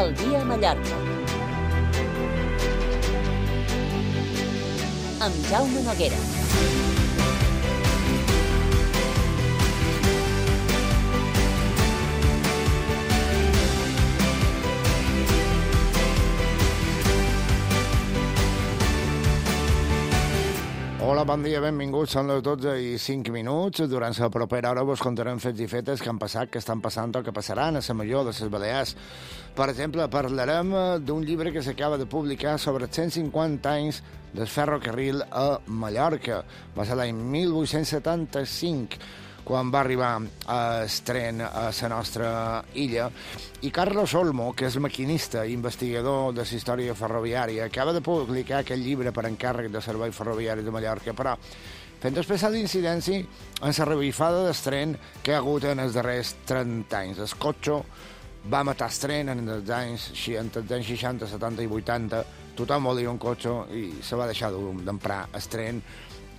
El dia a Mallorca. Amb Jaume Noguera. Hola, bon dia, benvinguts. Són les 12:05. Durant la propera hora vos contarem fets i fetes que han passat, que estan passant o que passaran a la Major de les Balears. Per exemple, parlarem d'un llibre que s'acaba de publicar sobre 150 anys del ferrocarril a Mallorca. Va ser l'any 1875, quan va arribar el tren a la nostra illa. I Carlos Olmo, que és maquinista i investigador de la història ferroviària, acaba de publicar aquest llibre per encàrrec de Servei Ferroviari de Mallorca, però fent especial d'incidència en la revifada del tren que ha hagut en els darrers 30 anys. El cotxe va matar el tren en els anys 60, 70 i 80. Tothom volia un cotxe i se va deixar d'emprar el tren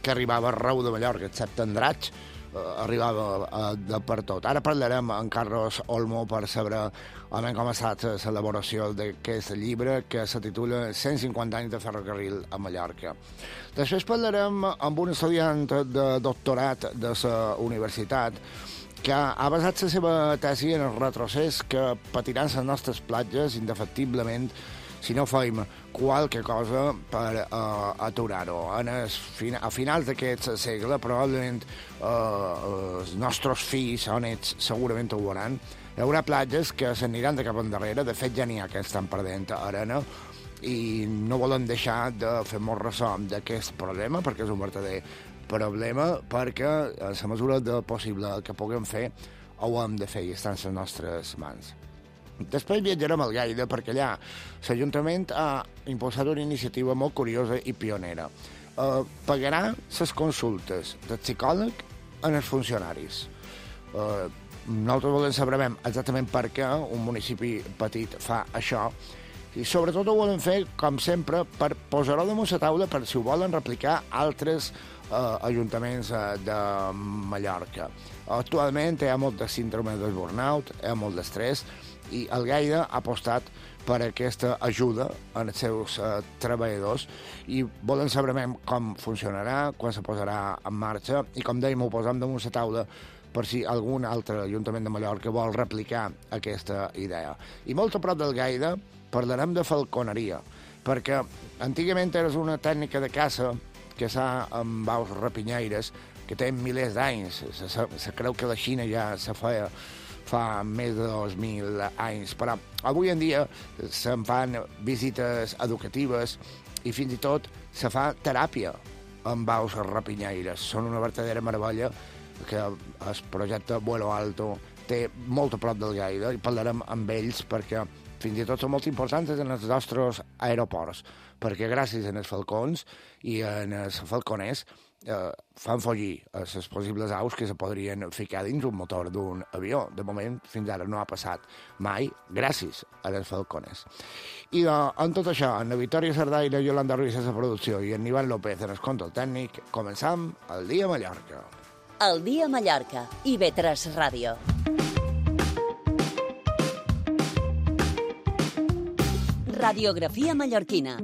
que arribava arreu de Mallorca, excepte Andratx, arribava de per tot. Ara parlarem amb Carlos Olmo per saber com ha estat l'elaboració d'aquest llibre que se titula 150 anys de ferrocarril a Mallorca. Després parlarem amb un estudiant de doctorat de la universitat que ha basat la seva tesi en el retrocés que patiran les nostres platges indefectiblement si no fem qualque cosa per aturar-ho. A finals d'aquest segle, probablement els nostres fills o nets segurament ho veuran. Hi haurà platges que s'aniran de cap endarrere. De fet, ja n'hi ha que estan perdent arena i no volem deixar de fer-nos ressò d'aquest problema, perquè és un verdader problema, perquè a la mesura del possible que puguem fer ho hem de fer i està en les nostres mans. Després viatjarem al Gaida perquè allà l'Ajuntament ha impulsat una iniciativa molt curiosa i pionera. Pagarà les consultes del psicòleg en els funcionaris. Nosaltres volem saber exactament per què un municipi petit fa això i sobretot ho volem fer, com sempre, per posar-ho damunt la taula per si ho volen replicar altres ajuntaments de Mallorca. Actualment hi ha molt de síndrome del burnout, hi ha molt d'estrès, i el Gaida ha apostat per aquesta ajuda als seus treballadors i volem saber com funcionarà, quan se posarà en marxa i, com dèiem, ho posem damunt la taula per si algun altre ajuntament de Mallorca vol replicar aquesta idea. I molt a prop del Gaida parlarem de falconeria, perquè antigament era una tècnica de caça que s'ha amb aus rapinyaires que té milers d'anys. Se creu que la Xina ja se feia fa més de 2.000 anys, però avui en dia se'n fan visites educatives i fins i tot se fa teràpia amb aus rapinyaires. Són una verdadera meravella que el projecte Vuelo Alto té molt a prop del Gaida i parlarem amb ells perquè fins i tot són molt importants en els nostres aeroports, perquè gràcies als falcons i als falconers fan follir les possibles aus que se podrien ficar dins un motor d'un avió. De moment, fins ara no ha passat mai, gràcies a les falcones. I en tot això, en la Victòria Sardaina, Yolanda Ruiz a la producció i en Ivan López en el control tècnic, començam el dia a Mallorca. El dia a Mallorca, IB3 Ràdio. Radiografia mallorquina.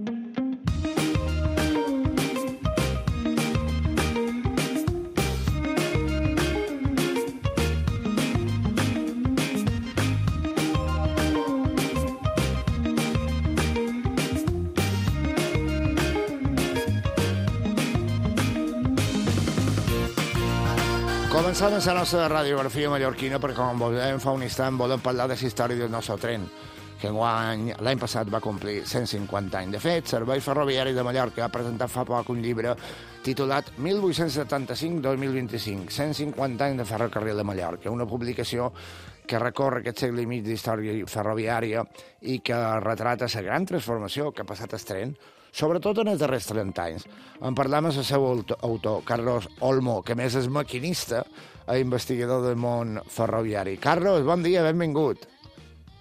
Començant la nostra radiografia mallorquina perquè, com vos dèiem fa un instant, volem parlar de la història del nostre tren, que l'any passat va complir 150 anys. De fet, Servei Ferroviari de Mallorca ha presentat fa poc un llibre titulat 1875-2025, 150 anys de ferrocarril de Mallorca, una publicació que recorre aquest segle i mig d'història ferroviària i que retrata la gran transformació que ha passat el tren, sobretot en els darrers 30 anys. En parlam amb el seu autor, Carlos Olmo, que més és maquinista i investigador del món ferroviari. Carlos, bon dia, benvingut.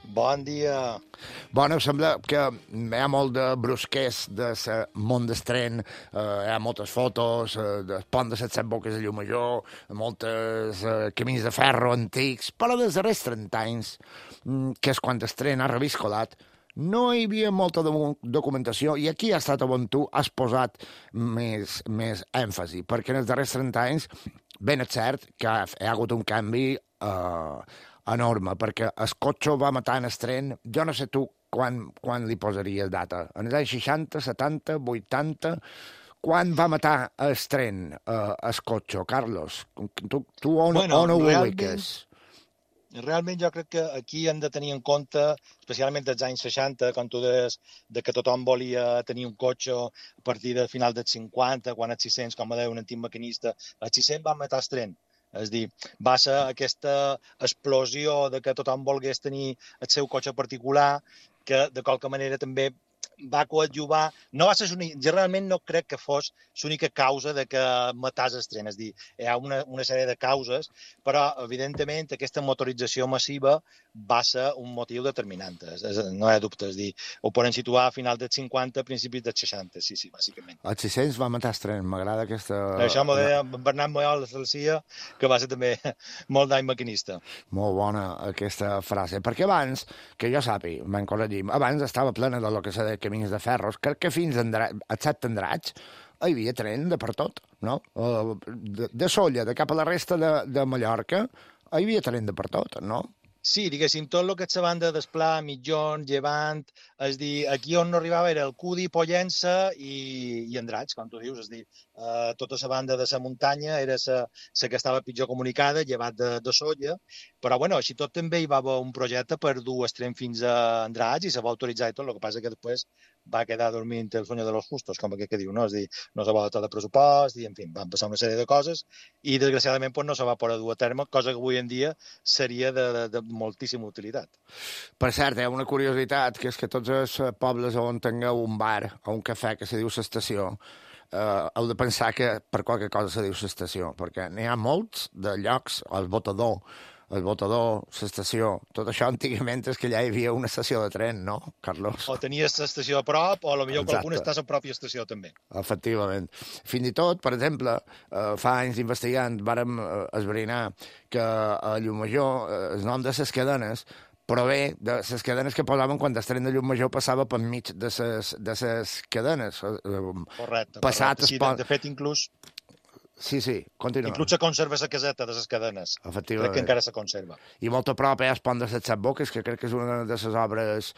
Bon dia. Bueno, sembla que hi ha molt de brusquers de món d'estren, hi ha moltes fotos del pont de les Set Boques de Llumajor, moltes camins de ferro antics, però dels darrers 30 anys, que és quan l'estren ha reviscolat, no hi havia molta documentació i aquí ha estat on tu has posat més èmfasi, perquè en els darrers 30 anys ben és cert que hi ha hagut un canvi enorme, perquè el cotxe va matar en estren, jo no sé tu quan li posaries data, en els anys 60, 70, 80, quan va matar estren el cotxe, Carlos? Tu on ho ubiques? Realment jo crec que aquí hem de tenir en compte, especialment dels anys 60, quan tu deies que tothom volia tenir un cotxe a partir del final dels 50, quan els 600, com deia un antic maquinista, els 600 van matar el tren. És a dir, va ser aquesta explosió de que tothom volgués tenir el seu cotxe particular, que de qualque manera també va coadjuvar, no va ser jo realment no crec que fos l'única causa de que matàs el tren, és a dir, hi ha una sèrie de causes, però evidentment aquesta motorització massiva va ser un motiu determinant, no hi ha dubte, és a dir, ho poden situar a final dels 50, principis dels 60, sí, bàsicament. Els 600 va matar el tren, m'agrada aquesta... Això m'ho deia Bernat Moyol de Salsia, que va ser també molt d'any maquinista. Molt bona aquesta frase, perquè abans, que jo sàpiga, me'n corregim, abans estava plena de lo que s'ha de camins de ferros, que fins a Set Tendrats hi havia tren de per tot, no? De Sóller, de cap a la resta de Mallorca, hi havia tren de per tot, no? Sí, diguéssim, tot el que és la banda d'Esplà, Mitjón, Llevant, és dir, aquí on no arribava era el Cudi, Pollença i Andratx, com tu dius, és dir, tota la banda de la muntanya era la que estava pitjor comunicada, llevat de Sóller, però bueno, així tot també hi va haver un projecte per dur el tren fins a Andratx i se va autoritzar i tot, el que passa que després va quedar dormint el sueño de los justos, com aquest que diu, no? És dir, no se va dotar de pressupost i, en fi, van passar una sèrie de coses i, desgraciadament, pues, no se va poder dur a terme, cosa que avui en dia seria de moltíssima utilitat. Per cert, hi ha una curiositat, que és que tots els pobles on tingueu un bar o un cafè que se diu l'estació, heu de pensar que per qualque cosa se diu l'estació, perquè n'hi ha molts de llocs, el Botador, l'estació, tot això antigament és que allà hi havia una estació de tren, no, Carlos? O tenies l'estació a prop, o potser qualcuna està a la pròpia estació també. Efectivament. Fins i tot, per exemple, fa anys investigant vàrem esbrinar que a Llumajor el nom de les cadenes prové de les cadenes que posaven quan el tren de Llumajor passava per mig de les cadenes. Correcte. Sí, de fet, inclús... Sí, continua. Inclús se conserva la caseta de les cadenes. Efectivament. Crec que encara se conserva. I molt a prop hi ha el pont de les Set Boques, que crec que és una de les obres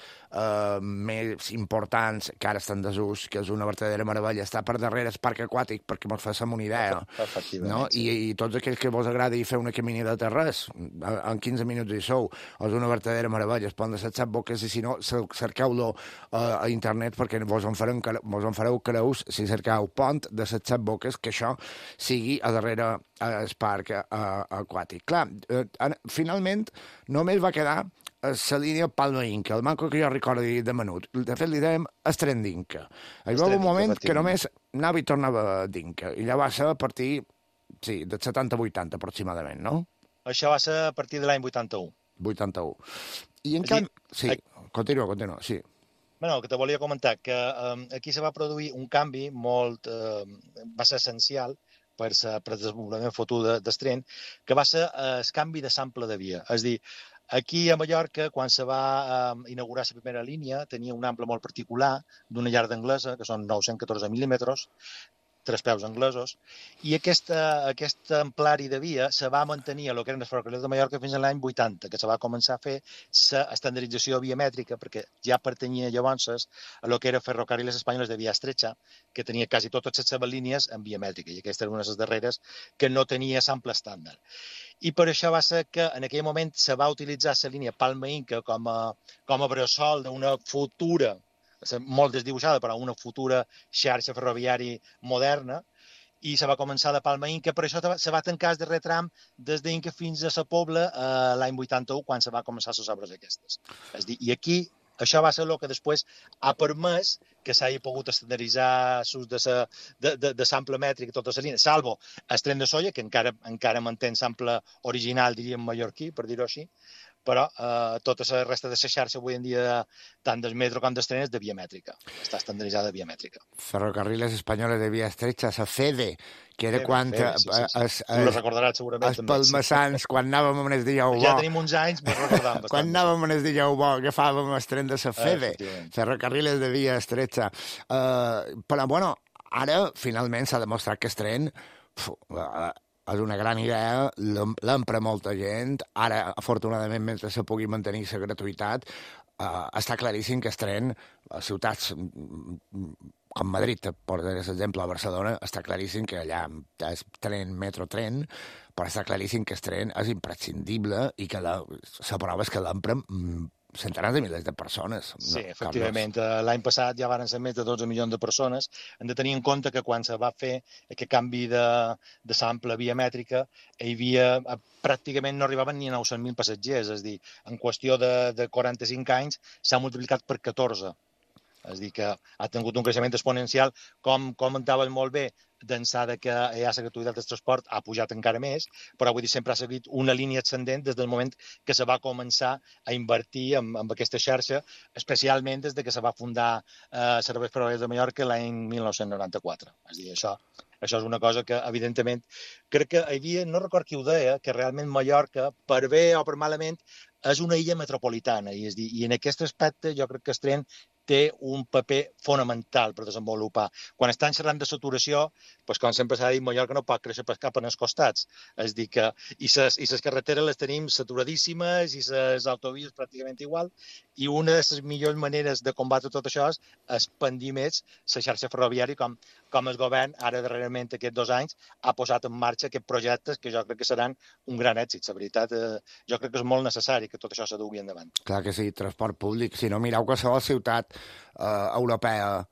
més importants que ara estan en desús, que és una verdadera meravella. Està per darrere el parc aquàtic, perquè mos fem una idea. Efectivament, no? sí. I tots aquells que vos agradi fer una caminada de res, en 15 minuts hi sou, és una verdadera meravella, el pont de les Set Boques, i si no, cerqueu-lo a internet, perquè vos en fareu creus si cercau pont de les Set Boques, que això sigui a darrere el parc aquàtic. Clar, finalment només va quedar la línia Palma-Inca, el manco que jo recordi de menut. De fet, li dèiem Estren d'Inca. Hi va un moment que només anava i tornava d'Inca, i allà va ser a partir, sí, del 70-80 aproximadament, no? Això va ser a partir de l'any 81. 81. I en canvi... Sí, continua, sí. Bueno, el que te volia comentar, que aquí se va produir un canvi molt... va ser essencial per el desenvolupament futur del tren, que va ser el canvi de sample de via. És a dir, aquí a Mallorca, quan se va inaugurar la primera línia, tenia un ample molt particular d'una llarga anglesa, que són 914 mil·límetres, 3 peus anglesos, i aquest amplari de via se va mantenir a lo que eren els ferrocarrils de Mallorca fins a l'any 80, que se va començar a fer l'estandardització biomètrica, perquè ja pertanyia llavors a lo que era Ferrocarriles Espanyoles de Via Estrecha, que tenia quasi totes les seves línies en biomètrica, i aquesta era una de les darreres que no tenia sample estàndard. I per això va ser que en aquell moment se va utilitzar la línia Palma-Inca com a bressol d'una futura, molt desdibuixada, però una futura xarxa ferroviària moderna, i se va començar de Palma-Inca, per això se va tancar el darrer tram des d'Inca fins a la Pobla l'any 81, quan se va començar les obres aquestes. És dir, i aquí això va ser el que després ha permès que s'hagi pogut estandarditzar l'ús de sample mètric a tota la línia, salvo el tren de soia, que encara manté sample original, diríem, mallorquí, per dir-ho així, però tota la resta de la xarxa avui en dia, tant del metro com del tren, és de via mètrica. Està estandarditzada de via mètrica. Ferrocarriles Espanyoles de Via Estretxa, la FEDE, que era quan tu la recordaràs segurament. Els palmassans, quan anàvem en el dijous bo... Ja tenim uns anys, però recordàvem bastant. Quan anàvem en el dijous bo, agafàvem el tren de la FEDE, Ferrocarriles de Via Estretxa. Però, bueno, ara, finalment, s'ha demostrat que el tren és una gran idea, l'empra molta gent. Ara, afortunadament, mentre se pugui mantenir la gratuïtat, està claríssim que el tren a ciutats com Madrid, per exemple, a Barcelona, està claríssim que allà és tren, metro, tren, però està claríssim que el tren és imprescindible i que la prova és que l'empren centenars de milers de persones. Sí, efectivament. L'any passat ja van ser més de 12 milions de persones. Hem de tenir en compte que quan se va fer aquest canvi de sample via mètrica, hi havia pràcticament no arribaven ni a 900.000 passatgers. És a dir, en qüestió de 45 anys s'ha multiplicat per 14. És a dir, que ha tingut un creixement exponencial, com comentaves molt bé, d'ençà que hi ha la gratuïtat del transport ha pujat encara més, però vull dir, sempre ha seguit una línia ascendent des del moment que se va començar a invertir en aquesta xarxa, especialment des que se va fundar Serveis Ferroviaris de Mallorca l'any 1994. És a dir, això és una cosa que, evidentment, crec que hi havia, no record qui ho deia, que realment Mallorca, per bé o per malament, és una illa metropolitana, i en aquest aspecte jo crec que el tren té un paper fonamental per desenvolupar. Quan estan xerrant de saturació, doncs, com sempre s'ha dit, Mallorca no pot créixer cap en els costats. És dir, que i les carreteres les tenim saturadíssimes i les autovies pràcticament igual, i una de les millors maneres de combatre tot això és expandir més la xarxa ferroviària, com el govern, ara darrerament aquests 2 anys, ha posat en marxa aquests projectes que jo crec que seran un gran èxit. La veritat, jo crec que és molt necessari que tot això se dugui endavant. Clar que sí, transport públic. Si no, mireu qualsevol ciutat europea,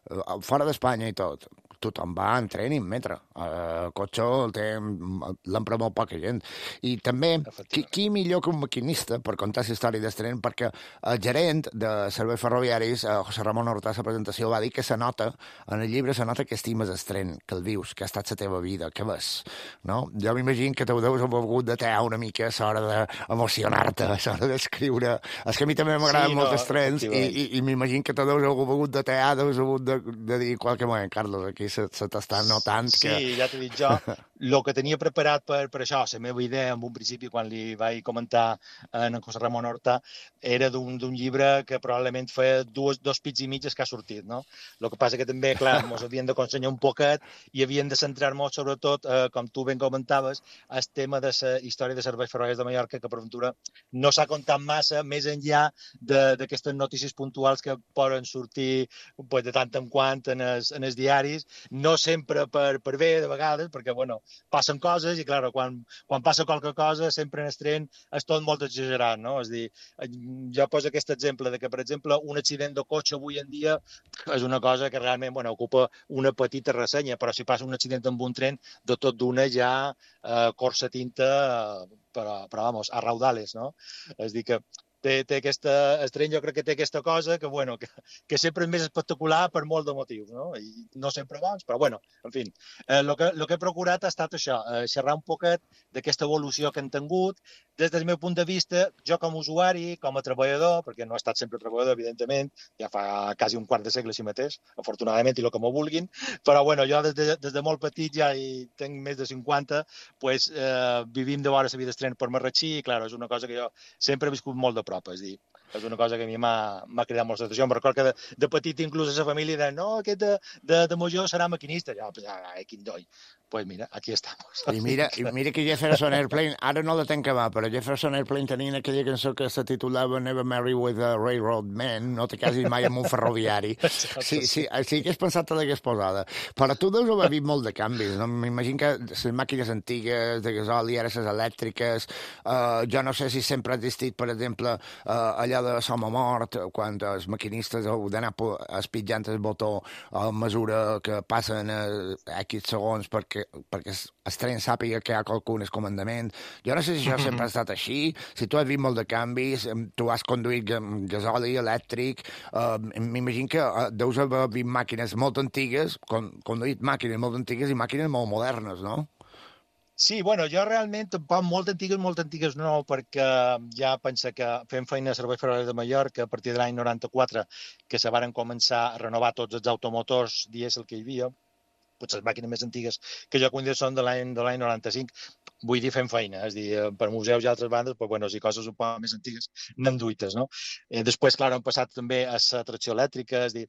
fora d'Espanya i tot, tothom va en tren i en metro. El cotxe l'empra molt poca gent. I també, qui millor que un maquinista per contar la història del tren, perquè el gerent de serveis ferroviaris, José Ramon Hortà, a la presentació, va dir que se nota, en el llibre se nota que estimes el tren, que el vius, que ha estat la teva vida, que ves. No? Jo m'imagino que t'ho deus haver hagut de tear una mica a l'hora d'emocionar-te, a l'hora d'escriure. És que a mi també m'agraden molt els trens i m'imagino que t'ho deus haver hagut de tear, deus haver de dir qualque moment, Carlos, aquí se t'està notant que... Sí, ja t'he dit jo. El que tenia preparat per això, la meva idea en un principi, quan li vaig comentar a en José Ramon Horta, era d'un llibre que probablement feia 2 pits i mitges que ha sortit, no? El que passa que també, clar, ens havien de consenyor un poquet i havien de centrar-nos, sobretot, com tu ben comentaves, el tema de la història de serveis ferroviaris de Mallorca, que per ventura no s'ha contat massa, més enllà d'aquestes notícies puntuals que poden sortir de tant en quant en els diaris, no sempre per bé, de vegades, perquè, bueno, passen coses i, clar, quan passa qualque cosa, sempre en el tren és tot molt exagerat, no? És a dir, jo poso aquest exemple de que, per exemple, un accident de cotxe avui en dia és una cosa que realment, bueno, ocupa una petita ressenya, però si passa un accident amb un tren, de tot d'una ja corsa tinta, però vamos, a raudales, no? És a dir, que té el tren jo crec que té aquesta cosa que, bueno, que sempre és més espectacular per molt de motius, no? I no sempre bons, però, bueno, en fi. El que he procurat ha estat això, xerrar un poquet d'aquesta evolució que hem tingut. Des del meu punt de vista, jo com a usuari, com a treballador, perquè no he estat sempre treballador, evidentment, ja fa quasi un quart de segle així mateix, afortunadament, i el que m'ho vulguin, però, bueno, jo des de molt petit ja hi tinc més de 50, pues, vivim de vora la vida del tren per Marratxí, i, clar, és una cosa que jo sempre he viscut molt de prop, és dir, és una cosa que a mi m'ha cridat molt l'atenció. Em recordo que de petit inclús a la família deien, no, aquest de major serà maquinista. Ja, quin doi. Pues mira, aquí estamos. I mira que Jefferson Airplane, ara no la tenc que va, però Jefferson Airplane tenien aquella cançó que se titulava Never Marry with a Railroad Man, no te casis mai amb un ferroviari. Sí que has pensat que l'hagués posada. Però tu deus haver vist molt de canvis, no? M'imagino que les màquines antigues de gasoli, ara les elèctriques, jo no sé si sempre ha existit, per exemple, allò de som o mort, quan els maquinistes heu d'anar espitjant el botó a mesura que passen X segons perquè perquè el tren sàpiga que hi ha qualcú en el comandament. Jo no sé si això sempre ha estat així, si tu has vist molt de canvis, tu has conduït gasoli, elèctric, m'imagino que deus haver vist màquines molt antigues, conduït màquines molt antigues i màquines molt modernes, no? Sí, bueno, jo realment tampoc molt antigues no, perquè ja penso que fem feina a Serveis Ferroviaris de Mallorca a partir de l'any 94, que se varen començar a renovar tots els automotors dièsel que hi havia, potser les màquines més antigues que jo conec són de l'any 95, vull dir fem feina, és a dir, per museus i altres bandes, però bueno, si coses un poc més antigues n'hem duites, no? Després, clar, hem passat també a la tracció elèctrica, és a dir,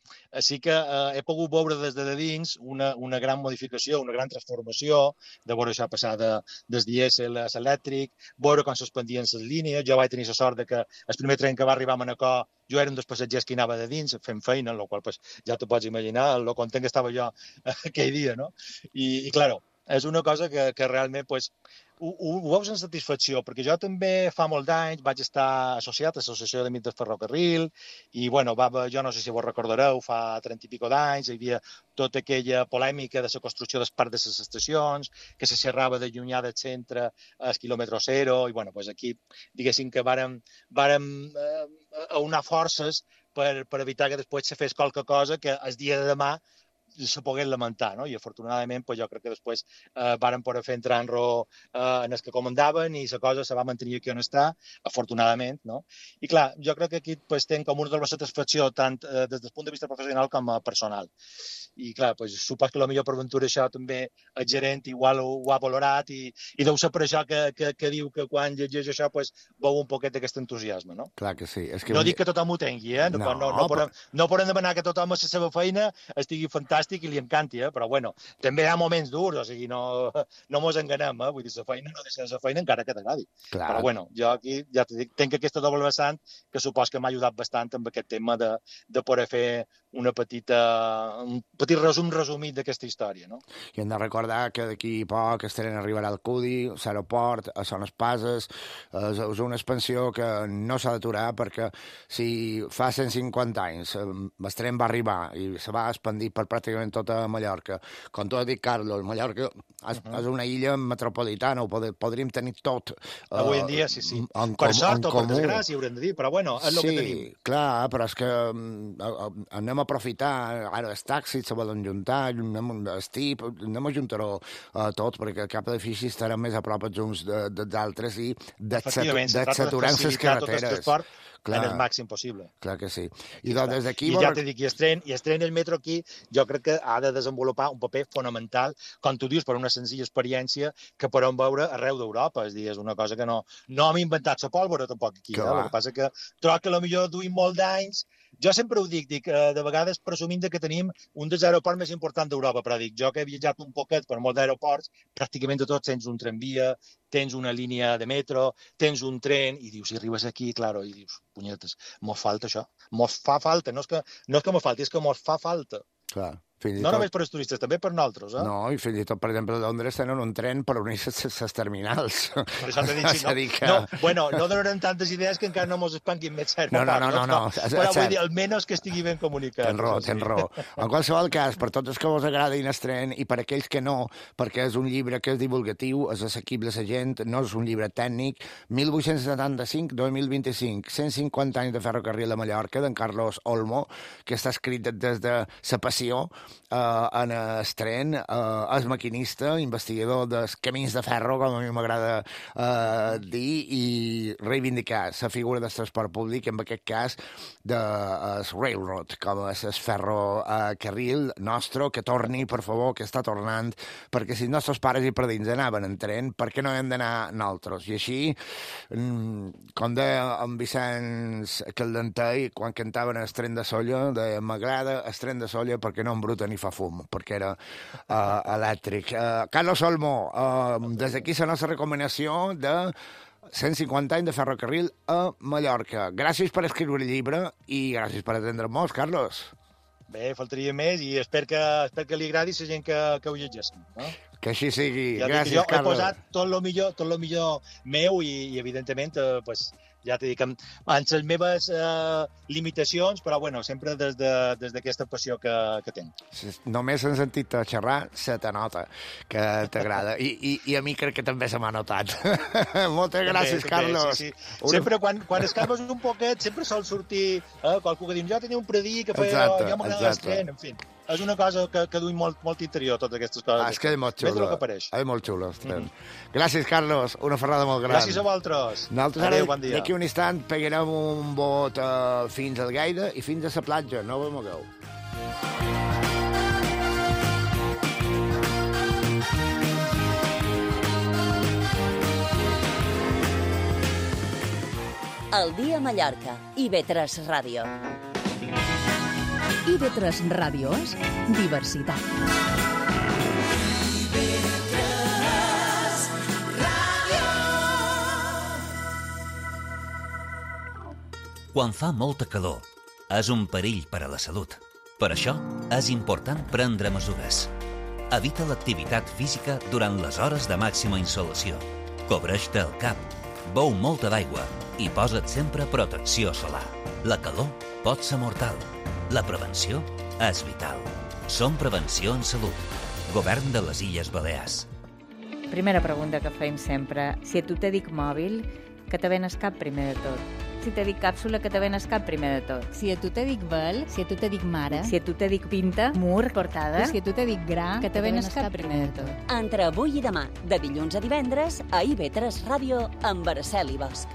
sí que he pogut veure des de dins una gran modificació, una gran transformació, de veure això passar des dièsel a l'elèctric, veure com s'expandien les línies, jo vaig tenir la sort de que el primer tren que va arribar a Manacor jo era un dels passatgers que hi anava de dins fent feina, en la qual pues, ja t'ho pots imaginar, lo content que estava jo aquell dia, no? I claro, és una cosa que realment pues, ho veus en satisfacció, perquè jo també fa molts anys vaig estar associat a l'Associació d'Amics del Ferrocarril i, bueno, jo no sé si vos recordareu, fa 30 i pico d'anys hi havia tota aquella polèmica de la construcció del parc de les estacions, que se xerrava de llunyà del centre al quilòmetre zero, i, bueno, pues aquí, diguéssim que vàrem aunar forces per evitar que després se fes qualque cosa que el dia de demà se pogués lamentar, no? I afortunadament pues, jo crec que després varen poder fer entrar-lo en els que comandaven i la cosa se va mantenir aquí on està, afortunadament, no? I clar, jo crec que aquí pues, tenc com una de les satisfacció tant des del punt de vista professional com personal. I clar, pues, supos que potser per ventura això també el gerent igual ho ha valorat i deu ser per això que diu que quan llegeix això pues, veu un poquet d'aquest entusiasme, no? Clar que sí. És que no dic que tothom ho tingui, no podem demanar que tothom a la seva feina estigui fantàstic i li encanti, però bueno, també hi ha moments durs, o sigui, no mos enganem, vull dir, la feina no deixa de ser feina encara que t'agradi. Però bueno, jo aquí ja t'ho dic, tenc aquesta doble vessant que supos que m'ha ajudat bastant amb aquest tema de poder fer un petit resumit d'aquesta història, no? I hem de recordar que d'aquí a poc el tren arribarà al Cudi, a l'aeroport, a Son Espases, és una expansió que no s'ha d'aturar perquè si fa 150 anys el tren va arribar i se va expandir per pràcticament tota Mallorca, com tu has dit, Carlos, Mallorca és una illa metropolitana, ho podríem tenir tot. Avui en dia, sí. Per sort o per desgràcia, haurem de dir, però bueno, és el que tenim. Sí, clar, però és que anem a aprofitar, ara els taxis se volen juntar, anem a juntar-ho tot, perquè cap edifici estarà més a prop els uns dels altres i d'exaturar les carreteres. Clar, en el màxim possible. Clar que sí. I doncs des d'aquí... I ja t'he dit, i el tren i el metro aquí, jo crec que ha de desenvolupar un paper fonamental, com tu dius, per una senzilla experiència que podem veure arreu d'Europa. És a dir, és una cosa que no hem inventat la pólvora tampoc aquí. El que passa que trobo que potser duim molt d'anys. Jo sempre ho dic, de vegades presumint que tenim un dels aeroports més importants d'Europa, però dic, jo que he viatjat un poquet per molts aeroports, pràcticament de tots tens un tramvia, tens una línia de metro, tens un tren, i dius, si arribes aquí, claro, i dius, punyetes, mos falta això, mos fa falta, no és que mos falti, és que mos fa falta. Clar. No només per als turistes, també per nosaltres. No, i fins i tot, per exemple, a Londres tenen un tren per unir les terminals. Per això t'he dit, sí, no? Bueno, no donarem tantes idees que encara no mos espanquin més cert. No. Però vull dir, almenys que estigui ben comunicat. Tens raó. En qualsevol cas, per tots els que vos agradin el tren i per aquells que no, perquè és un llibre que és divulgatiu, és assequible a la gent, no és un llibre tècnic, 1875-2025, 150 anys de ferrocarril a Mallorca, d'en Carlos Olmo, que està escrit des de la passió en el tren, és maquinista, investigador dels camins de ferro, com a mi m'agrada dir, i reivindicar la figura del transport públic, en aquest cas del railroad, com és el ferrocarril nostre, que torni, per favor, que està tornant, perquè si els nostres pares i padrins anaven en tren, per què no hem d'anar nosaltres? I així, com deia en Vicenç Caldentei, quan cantaven el tren de Solla, deia, m'agrada el tren de Solla perquè no embruta ni fa fum, perquè era elèctric. Carlos Olmo, des d'aquí la nostra recomanació de 150 anys de ferrocarril a Mallorca. Gràcies per escriure el llibre i gràcies per atendre'm-nos, Carlos. Bé, faltaria més i espero que li agradi a la gent que ho llegeixin. No? Que així sigui. Ja gràcies, Carlos. Jo he posat tot el millor meu i evidentment, pues, ja t'he dit que amb les meves limitacions, però bueno, sempre des d'aquesta passió que tinc. Només en sentit xerrar se te nota que t'agrada. I a mi crec que també se m'ha notat. Moltes gràcies, Carlos. Sí. Sempre quan escarbes un poquet, sempre sol sortir qualcú que diu, jo tenia un predí que feia, jo m'agrada l'estren, en fi. És una cosa que duim molt interior, totes aquestes coses. És que és molt xulo. És molt xulo, Gràcies, Carlos. Una ferrada molt gran. Gràcies a vosaltres. Nosaltres bon dia. D'aquí un instant pegarem un bot fins al Gaire i fins a la platja. No vos mogueu. El dia a Mallorca. IB3 Ràdio. IB3 Ràdio és diversitat. Quan fa molta calor, és un perill per a la salut. Per això, és important prendre mesures. Evita l'activitat física durant les hores de màxima insolació. Cobreix-te el cap, beu molta d'aigua i posa't sempre protecció solar. La calor pot ser mortal. La prevenció és vital. Som Prevenció en Salut. Govern de les Illes Balears. Primera pregunta que fem sempre. Si a tu te dic mòbil, que te ven el cap primer de tot. Si te dic càpsula, que te ven el cap primer de tot. Si a tu te dic vel, si a tu te dic mare, Si a tu te dic pinta, mur, portada, si a tu te dic gra, que te ven el cap primer de tot. Entre avui i demà, de dilluns a divendres, a IB3 Ràdio, amb Araceli Bosch.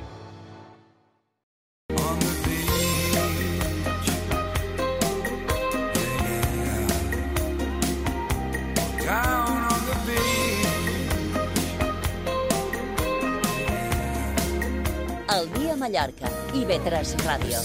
El dia a Mallorca, IB3 Ràdio.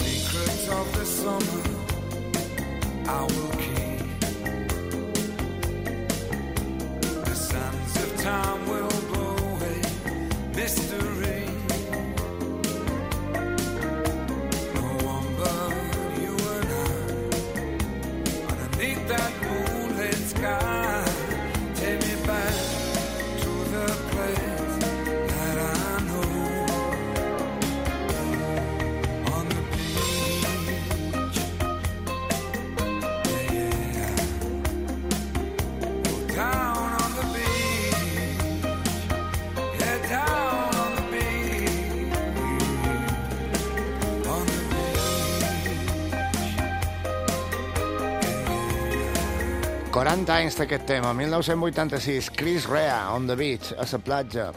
anys d'aquest tema, 1986, Chris Rea, On the Beach, a la platja.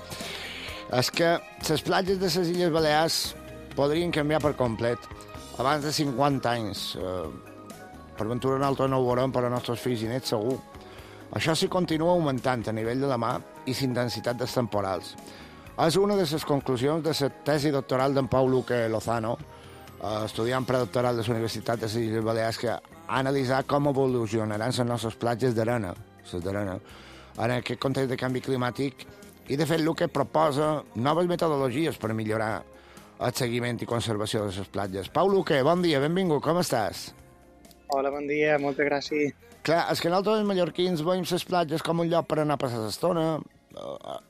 És que les platges de les Illes Balears podrien canviar per complet. Abans de 50 anys, per ventura nosaltres no ho veurem, però els nostres fills i nets segur. Això sí continua augmentant a nivell de la mar i l'intensitat dels temporals. És una de les conclusions de la tesi doctoral d'en Pau Luque Lozano, estudiant predoctoral de la Universitat de les Illes Balears, que ha analitzat com evolucionaran les nostres platges d'arena, en aquest context de canvi climàtic, i de fet Luque proposa noves metodologies per millorar el seguiment i conservació de les platges. Pau Luque, bon dia, benvingut, com estàs? Hola, bon dia, moltes gràcies. Clar, és que nosaltres els mallorquins veiem les platges com un lloc per anar a passar l'estona,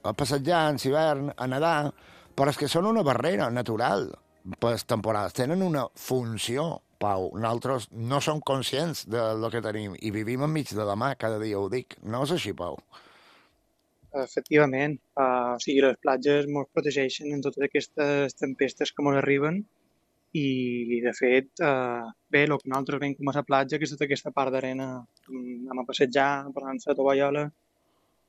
a passejar en hivern, a nedar, però és que són una barrera natural per les temporades. Tenen una funció, Pau. Nosaltres no som conscients del que tenim i vivim enmig de la mar, cada dia ho dic. No és així, Pau? Efectivament. O sigui, les platges ens protegeixen en totes aquestes tempestes que ens arriben i, de fet, bé, el que nosaltres veiem com a la platja, que és tota aquesta part d'arena, anem a passejar, posant-se a tovallola,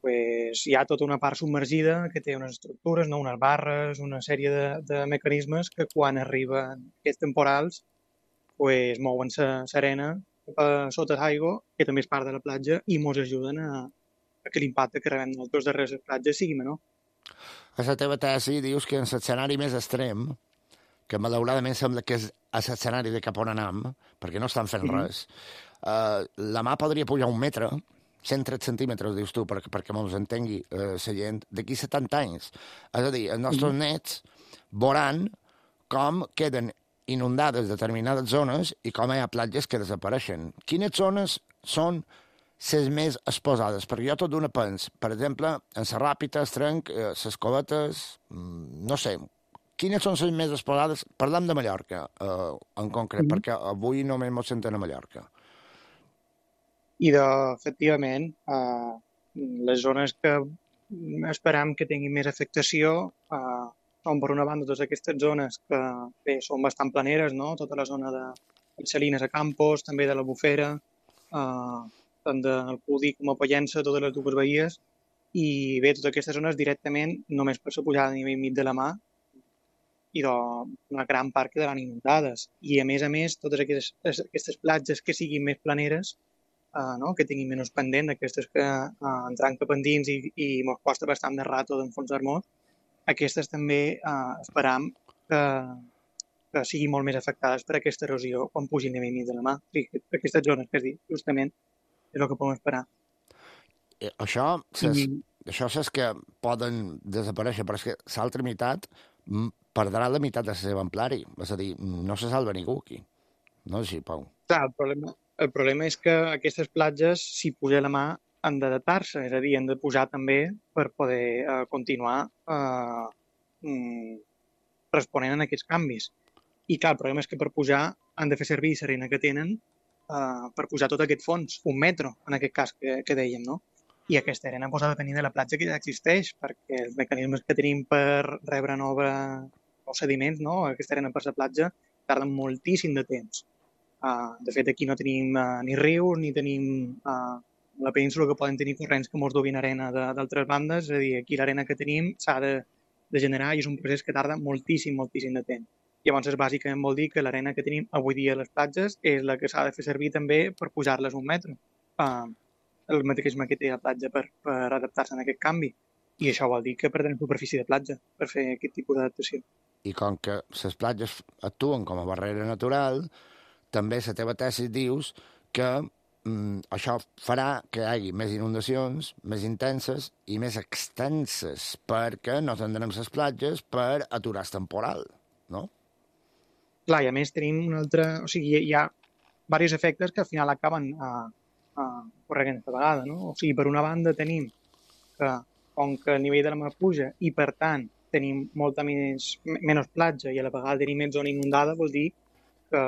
pues, hi ha tota una part submergida que té unes estructures, no? Unes barres, una sèrie de mecanismes que quan arriben aquests temporals pues, mouen l'arena sota l'aigua, que també és part de la platja, i ens ajuden a que l'impacte que rebem nosaltres darrere les platges sigui menor. A la teva tesi dius que en l'escenari més extrem, que malauradament sembla que és l'escenari de cap on anem, perquè no estan fent res, la mà podria pujar 1 metre, 130 centímetres, dius tu, perquè mos entengui la gent, d'aquí 70 anys. És a dir, els nostres nets veuran com queden inundades determinades zones i com hi ha platges que desapareixen. Quines zones són les més exposades? Perquè jo tot d'una pens, per exemple, en la Ràpita, es trenc, les Covetes, no sé, quines són les més explorades? Parlem de Mallorca, en concret, perquè avui només ens sentem a Mallorca. I, efectivament, les zones que esperam que tinguin més afectació són, per una banda, totes aquestes zones que bé, són bastant planeres, no? Tota la zona de Salines a Campos, també de la Bufera, tant del Cudi com a Pollença, totes les dues bahies, i bé, totes aquestes zones directament, només per la pujada a nivell mig de la mà, i una gran part quedaran inundades. I a més, totes aquestes platges que siguin més planeres, no? Que tinguin menys pendent, aquestes que entran cap endins i ens costa bastant de rato d'enfonsar-nos, aquestes també esperam que siguin molt més afectades per aquesta erosió quan pugi el nivell mig de la mà. Sí, aquestes zones que has dit, justament, és el que podem esperar. Això és que poden desaparèixer, però és que l'altra meitat perdrà la meitat de la seva amplari. És a dir, no se salva ningú aquí. No és així, Pau. Clar, el problema és que aquestes platges, si puja la mà, han d'adaptar-se, és a dir, han de pujar també per poder continuar responent a aquests canvis. I clar, el problema és que per pujar han de fer servir l'arena que tenen per pujar tot aquest fons, 1 metre, en aquest cas que dèiem, no? I aquesta arena ha de venir de la platja que ja existeix, perquè els mecanismes que tenim per rebre nous sediments, no? Aquesta arena per la platja, tarden moltíssim de temps. De fet, aquí no tenim ni rius, ni tenim la península que poden tenir corrents que ens dubin arena d'altres bandes, és a dir, aquí l'arena que tenim s'ha de generar i és un procés que tarda moltíssim de temps. Llavors, bàsicament vol dir que l'arena que tenim avui dia a les platges és la que s'ha de fer servir també per pujar-les 1 metre. El mecanisme que té la platja per adaptar-se a aquest canvi. I això vol dir que perdrem superfície de platja per fer aquest tipus d'adaptació. I com que les platges actuen com a barrera natural, també la teva tesi dius que això farà que hi hagi més inundacions, més intenses i més extenses, perquè no tindrem les platges per aturar el temporal, no? Clar, i a més tenim un altre... O sigui, hi ha diversos efectes que al final acaben corregint aquesta vegada, no? O sigui, per una banda tenim que, com que el nivell de la mar puja i, per tant, tenim molta menys platja i a la vegada tenim més zona inundada, vol dir que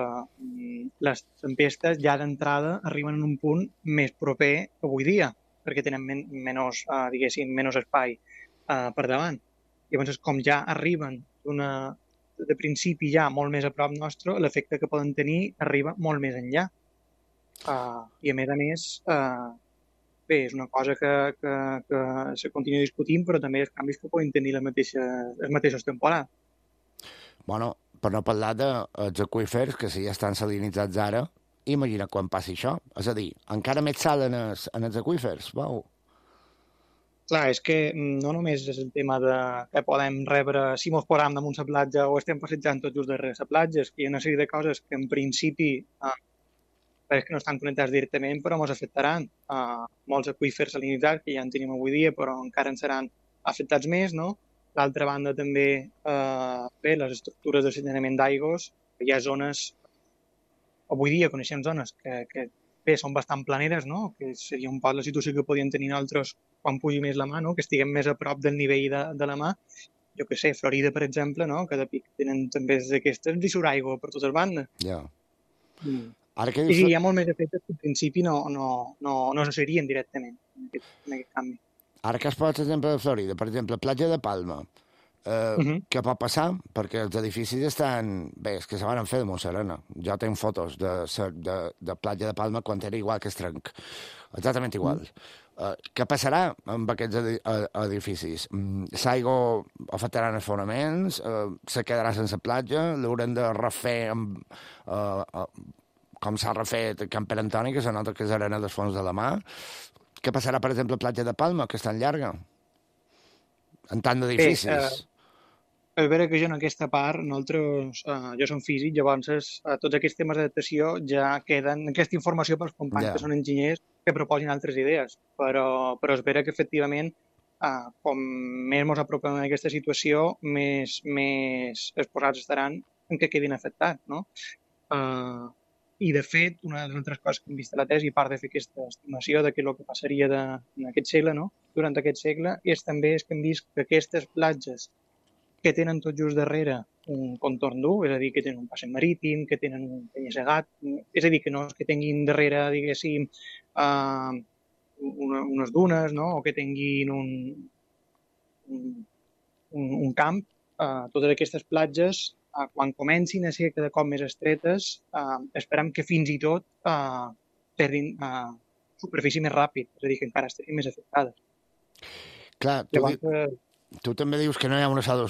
les tempestes ja d'entrada arriben en un punt més proper avui dia, perquè tenen menys espai per davant. Llavors, com ja arriben de principi ja molt més a prop nostre, l'efecte que poden tenir arriba molt més enllà. I a més, bé, és una cosa que se continua discutint, però també els canvis que poden tenir els mateixos temporals. Bueno, per no parlar dels aqüífers, que si ja estan salinitzats ara, imagina quan passi això. És a dir, encara més sal en els aqüífers, vau. Clar, és que no només és el tema de que podem rebre, si mos posam damunt la platja o estem passejant tot just darrere la platja, és que hi ha una sèrie de coses que en principi que no estan connectats directament, però ens afectaran. Molts aqüífers salinitzats que ja en tenim avui dia, però encara en seran afectats més, no? D'altra banda, també, les estructures de sanejament d'aigües, hi ha zones, avui dia coneixem zones que bé, són bastant planeres, no? Que seria un poc la situació que podien tenir altres quan pugi més la mà, no? Que estiguem més a prop del nivell de la mà. Jo què sé, Florida, per exemple, no? Que de pic tenen també d'aquestes i surt aigua per totes bandes. Ja. I hi ha molt més efectes que en principi no se serien directament en aquest canvi. Ara que has posat l'exemple de Florida, per exemple, platja de Palma, què pot passar? Perquè els edificis estan... Bé, és que se van fer de Montserrana. Jo tinc fotos de platja de Palma quan era igual que Estrenc. Exactament igual. Què passarà amb aquests edificis? L'aigua afectarà els fonaments? Se quedarà sense platja? L'haurem de refer com s'ha refet Camp Pere Antoni, que se nota que és arena dels fons de la mà? Què passarà, per exemple, a platja de Palma, que és tan llarga? En tant d'edificis. És vera que jo en aquesta part, nosaltres, jo som físic, llavors tots aquests temes d'adaptació ja queden, aquesta informació pels companys que són enginyers que proposin altres idees, però és vera que efectivament com més ens apropem a aquesta situació, més exposats estaran en què quedin afectats, no? I de fet, una de les altres coses que hem vist a la tesi, a part de fer aquesta estimació de què és el que passaria en aquest segle, no? Durant aquest segle, és també que hem vist que aquestes platges que tenen tot just darrere un contorn dur, és a dir, que tenen un passeig marítim, que tenen un penya-segat, és a dir, que no és que tinguin darrere, diguéssim, unes dunes, no? O que tinguin un camp. Totes aquestes platges, quan comencin a ser cada cop més estretes, esperem que fins i tot perdin superfície més ràpid, és a dir, que encara estiguin més afectades. Clar, tu també dius que no hi ha una sola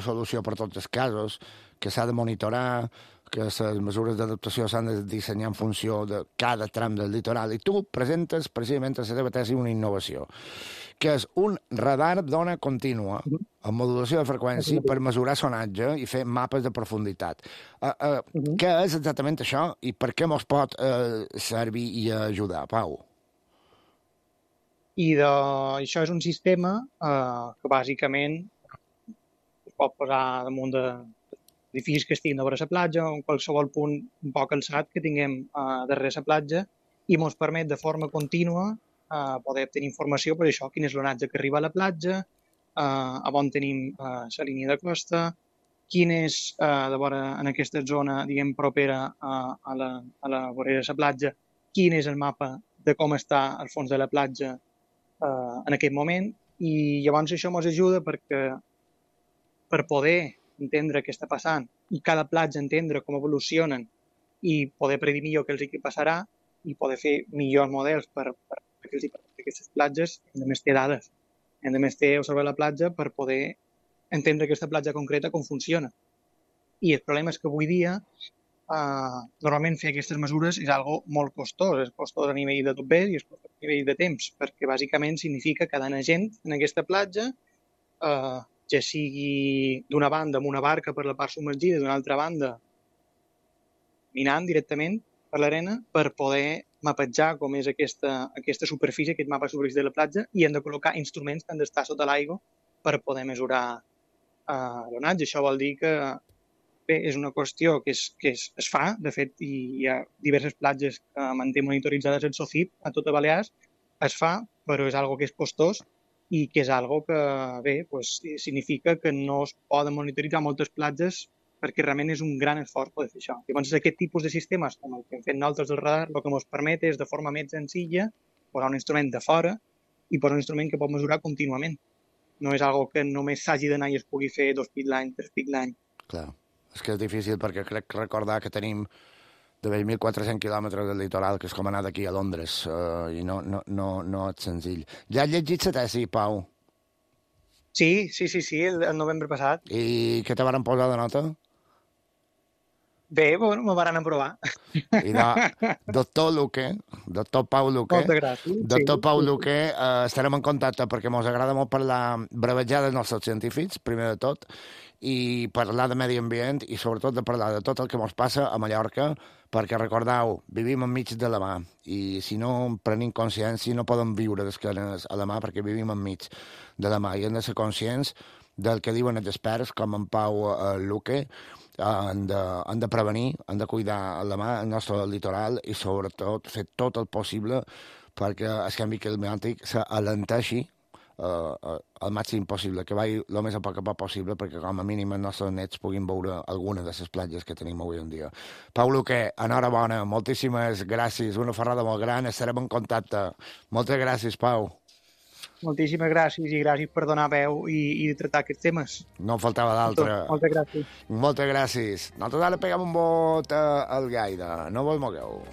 solució per tots els casos, que s'ha de monitorar, que les mesures d'adaptació s'han de dissenyar en funció de cada tram del litoral, i tu presentes precisament a la teva tesi una innovació, que és un radar d'ona contínua amb modulació de freqüència per mesurar sonatge i fer mapes de profunditat. Què és exactament això i per què mos pot servir i ajudar, Pau? I això és un sistema que bàsicament es pot posar damunt d'edificis que estiguin darrere la platja o en qualsevol punt un poc alçat que tinguem darrere la platja i ens permet de forma contínua poder obtenir informació per això, quin és l'onatge que arriba a la platja, on tenim la línia de costa, quin és, de vora en aquesta zona diguem propera a la vorera de la platja, quin és el mapa de com està el fons de la platja en aquest moment, i llavors això ens ajuda perquè per poder entendre què està passant i cada platja entendre com evolucionen i poder predir millor què els hi passarà i poder fer millors models per què els hi passa a aquestes platges, hem de més ter dades, hem de més ter observar la platja per poder entendre aquesta platja concreta com funciona. I el problema és que avui dia normalment fer aquestes mesures és algo molt costós, és costós a nivell de tot bé i és costós a nivell de temps, perquè bàsicament significa que anar gent en aquesta platja, ja sigui d'una banda amb una barca per la part submergida, d'una altra banda minant directament per l'arena per poder mapejar com és aquesta superfície, aquest mapa de superfície de la platja, i hem de col·locar instruments que han d'estar sota l'aigua per poder mesurar l'onatge. Això vol dir que bé, és una qüestió que es fa, de fet, hi ha diverses platges que manté monitoritzades el SOCIP a tota Balears, es fa, però és algo que és costós i que és algo que, bé, pues, significa que no es poden monitoritzar moltes platges perquè realment és un gran esforç poder fer això. Llavors, aquest tipus de sistemes, com el que hem fet nosaltres del radar, el que ens permet és, de forma més senzilla, posar un instrument de fora i posar un instrument que pot mesurar contínuament. No és algo que només s'hagi d'anar i es pugui fer 2 pics l'any, 3 pics l'any. Clar. És que és difícil perquè crec recordar que tenim de 1.400 quilòmetres del litoral, que és com anar d'aquí a Londres, i no és senzill. Ja has llegit la tesi, Pau? Sí, el novembre passat. I què te varen posar de nota? Bé, bueno, me van aprovar. I doctor Pau Luque, moltes gràcies. Doctor Pau Luque, estarem en contacte perquè ens agrada molt parlar, bravejar dels nostres científics, primer de tot, i parlar de medi ambient i sobretot de parlar de tot el que ens passa a Mallorca, perquè recordeu, vivim enmig de la mà i si no prenim consciència no podem viure d'esquenes a la mà perquè vivim enmig de la mà i hem de ser conscients del que diuen els experts com en Pau Luque. Han de prevenir, han de cuidar la mà el nostre litoral i sobretot fer tot el possible perquè el canvi climàtic s'alenteixi al màxim possible, que vagi el més a poc possible perquè com a mínim els nostres nets puguin veure alguna de les platges que tenim avui en dia. Pau Luque, enhorabona, moltíssimes gràcies, una ferrada molt gran, estarem en contacte. Moltes gràcies, Pau. Moltíssimes gràcies i gràcies per donar veu i tractar aquests temes. No en faltava d'altre. Moltes gràcies. Moltes gràcies. Nosaltres ara peguem un vot al Gaire. No vos mogueu.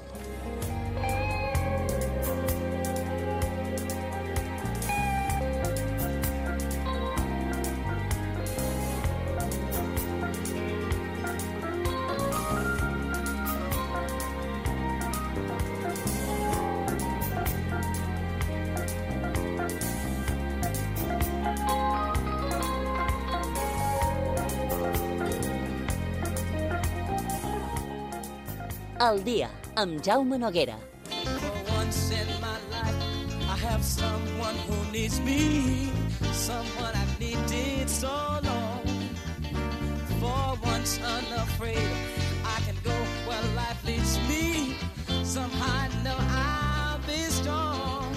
El dia, amb Jaume Noguera. For once in my life, I have someone who needs me, someone I've needed so long. For once unafraid, I can go where life leads me. Somehow I know I'll be strong.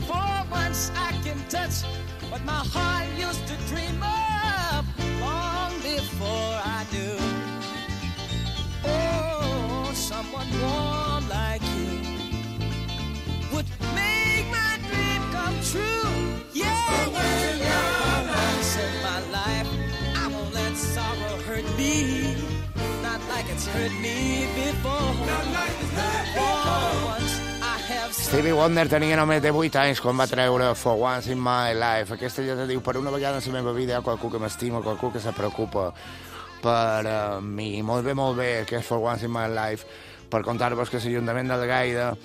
For once I can touch what my heart used to dream of. hurt me before. For once I have Stevie Wonder tenia només de 8 anys quan va treure For Once in My Life. Aquesta ja te diu, per una vegada en la meva vida hi ha qualcú que m'estima, qualcú que se preocupa per mi. Molt bé, que és For Once in My Life, per contar-vos que l'Ajuntament del Gaida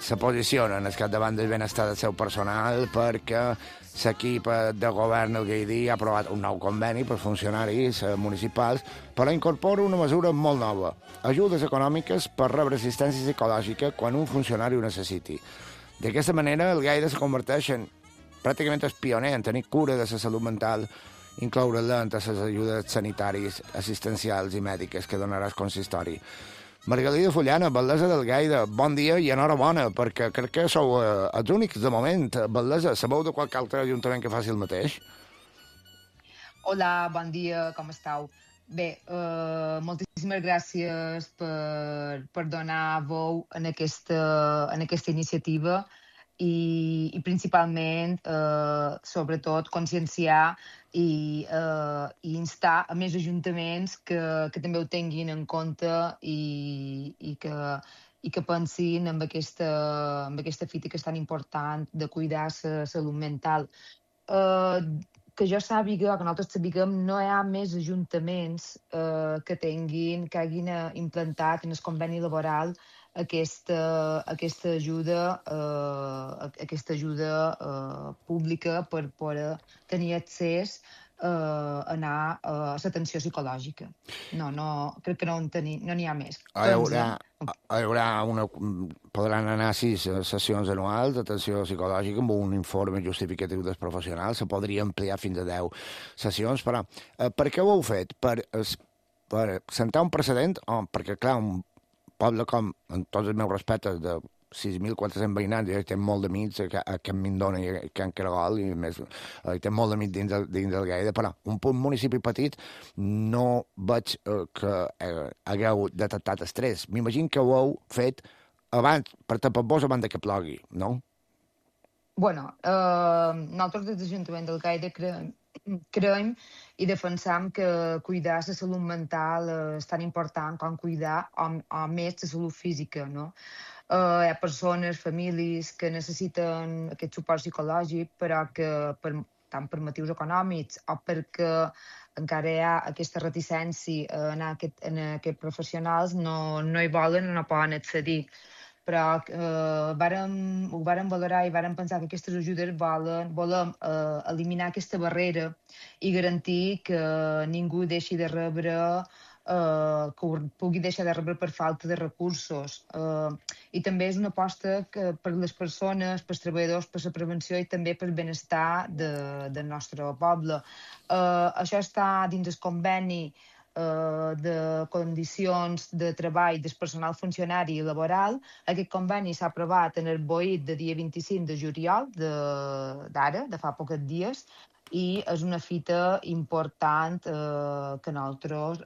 se posiciona en el capdavant del benestar del seu personal perquè l'equip de govern del Gaidí ha aprovat un nou conveni per funcionaris municipals per incorporar una mesura molt nova, ajudes econòmiques per rebre assistència psicològica quan un funcionari ho necessiti. D'aquesta manera, el Gaida es converteix en pràcticament el pioner en tenir cura de la salut mental, incloure-la entre les ajudes sanitàries, assistencials i mèdiques que donarà el consistori. Margalida Fullana, batllessa del Gaida, bon dia i enhorabona, perquè crec que sou els únics de moment. Batllessa, sabeu de qualque altre ajuntament que faci el mateix? Hola, bon dia, com esteu? Bé, moltíssimes gràcies per donar veu en aquesta iniciativa i principalment, sobretot, conscienciar i instar a més ajuntaments que també ho tinguin en compte i que pensin en aquesta fita que és tan important de cuidar la salut mental. Que jo sàpiga, que nosaltres sapiguem, no hi ha més ajuntaments que hagin implantat en el conveni laboral aquesta ajuda pública per poder tenir accés a anar a l'atenció psicològica. No, crec que no n'hi ha més. Podran anar a 6 sessions anuals d'atenció psicològica amb un informe justificatiu dels professionals. Se podria ampliar fins a 10 sessions, però per què ho heu fet? Per sentar un precedent? Perquè, clar, un poble com, amb tots els meus respectes, de 6.400 veïnats, jo hi tenc molt d'amics a Can Mindona i a Can Caragol, i més, hi tenc molt d'amics dins del Gaida, però un municipi petit no veig que hagueu detectat estrès. M'imagino que ho heu fet abans, per tapar-vos abans que plogui, no? Bueno, nosaltres des de l'Ajuntament del Gaida creiem i defensam que cuidar la salut mental és tan important com cuidar o més la salut física, no? Hi ha persones, famílies que necessiten aquest suport psicològic, però que tant per motius econòmics o perquè encara hi ha aquesta reticència a anar a aquests professionals, no hi volen o no poden accedir. Però ho vàrem valorar i vàrem pensar que aquestes ajudes volem eliminar aquesta barrera i garantir que ningú deixi de rebre, que ho pugui deixar de rebre per falta de recursos. I també és una aposta per les persones, pels treballadors, per la prevenció i també pel benestar del nostre poble. Això està dins el conveni de condicions de treball del personal funcionari i laboral. Aquest conveni s'ha aprovat en el BOIT de dia 25 de juliol d'ara, de fa pocs dies, i és una fita important que nosaltres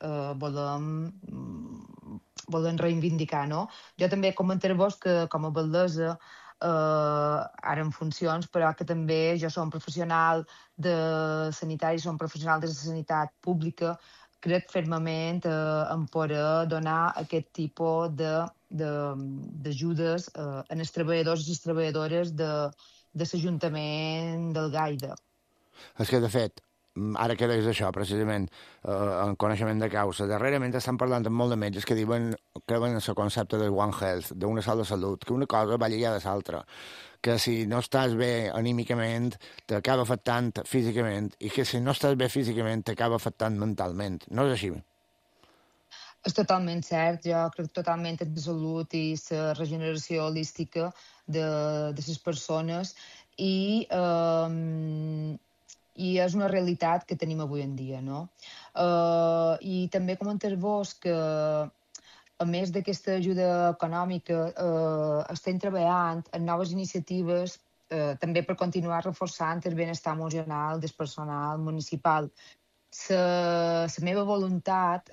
volem reivindicar, no? Jo també comentar-vos que com a batllessa, ara en funcions, però que també jo som professional de sanitari, som professional de la sanitat pública, crec fermament en poder donar aquest tipus d'ajudes als treballadors i les treballadores de l'Ajuntament del Gaida. És que, de fet, ara que deies això, precisament, en coneixement de causa, darrerament estan parlant amb molt de metges que creuen en el concepte de One Health, d'una sola salut, que una cosa va lligada a l'altra, que si no estàs bé anímicament t'acaba afectant físicament i que si no estàs bé físicament t'acaba afectant mentalment. No és així? És totalment cert. Jo crec totalment en la salut i la regeneració holística de les persones i és una realitat que tenim avui en dia, no? I també comentar-vos que a més d'aquesta ajuda econòmica, estem treballant en noves iniciatives també per continuar reforçant el benestar emocional del personal municipal. La meva voluntat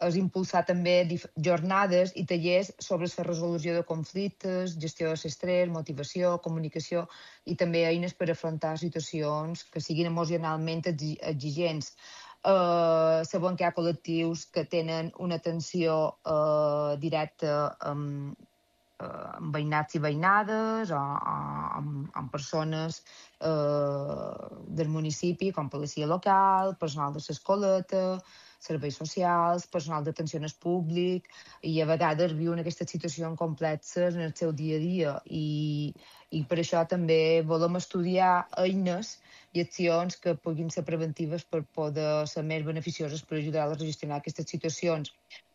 és impulsar també jornades i tallers sobre la resolució de conflictes, gestió de l'estrès, motivació, comunicació i també eines per afrontar situacions que siguin emocionalment exigents. Sabem que hi ha col·lectius que tenen una atenció directa amb veïnats i veïnades o amb persones del municipi, com policia local, personal de l'escoleta, serveis socials, personal d'atenció al públic, i a vegades viuen aquestes situacions complexes en el seu dia a dia. I per això també volem estudiar eines i accions que puguin ser preventives per poder ser més beneficioses per ajudar-los a gestionar aquestes situacions.